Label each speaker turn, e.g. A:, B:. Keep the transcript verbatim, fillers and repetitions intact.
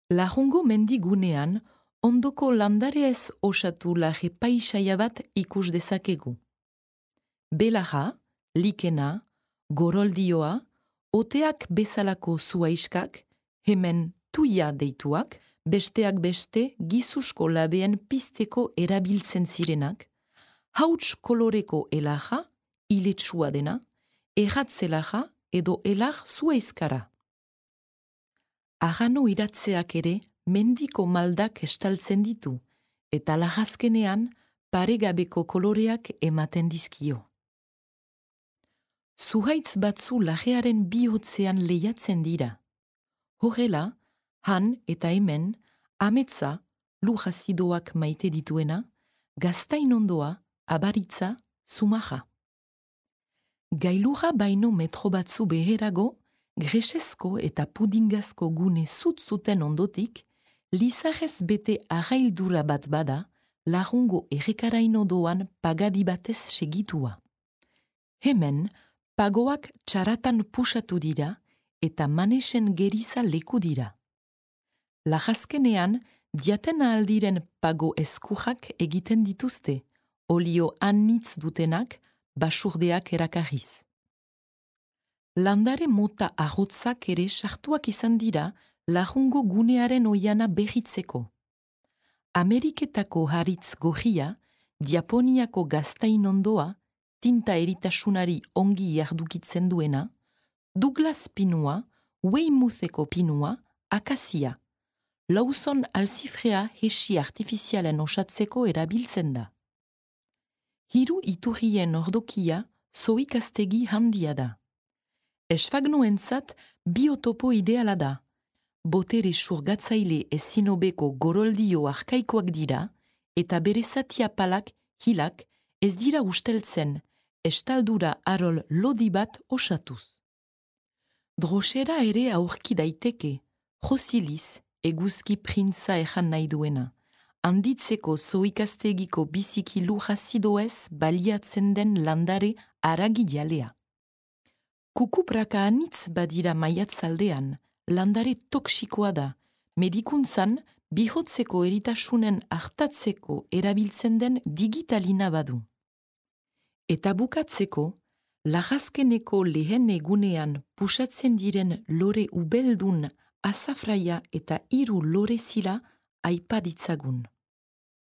A: Lajungo mendigunean, ondoko landareez osatu laje paisaia bat ikus dezakegu. Belaja, likena, goroldioa, oteak bezalako zuaiskak, hemen tuia deituak, besteak beste gizusko labeen pizteko erabiltzen zirenak, hauts koloreko elaja, iletsua dena, erratzelaja edo elar zuaizkara. Arrano iratzeak ere mendiko maldak estaltzen ditu, eta lagazkenean paregabeko koloreak ematen dizkio. Zuhaitz batzu lajearen bihotzean lehiatzen dira. Horrela, han eta hemen, ametza, lujazidoak maite dituena, gaztainondoa, abaritza, zumaja. Gailurra baino metro batzu beherago, gresezko eta pudingazko gune zutzuten ondotik, lizarrez bete arraildura bat bada, Lajungo errekaraino doan pagadi batez segitua. Hemen, pagoak txaratan pusatu dira eta manesen geriza leku dira. Lajazkenean, diatena aldiren pago eskujak egiten dituzte, olio anitz dutenak, basurdeak erakarriz. Landare mota arrotzak ere sartuak izan dira Lajungo gunearen oiana behitzeko. Ameriketako haritz gorria, Diaponiako gaztainondoa, tinta eritasunari ongi jardukitzen duena, Douglas pinua, Weymoutheko pinua, akazia. Lawson alzifrea hesi artifizialen osatzeko erabiltzen da. Hiru iturrien ordokia zoikaztegi handia da. Esfagnoentzat biotopo ideala da. Botere surgatzaile ezinobeko goroldio arkaikoak dira eta bere zatia palak, hilak, ez dira usteltzen, estaldura arol lodi bat osatuz. Drosera ere aurki daiteke, josiliz, eguzki printza ejan nahi duena, handitzeko zoikaztegiko biziki lujazidoez baliatzen den landare aragijalea. Kukupraka anitz badira maiatzaldean, landare toksikoa da, medikuntzan bihotzeko eritasunen hartatzeko erabiltzen den digitalina badu. Eta bukatzeko, lagazkeneko lehen egunean pusatzen diren lore ubeldun azafraia eta hiru lore zila aipa ditzagun.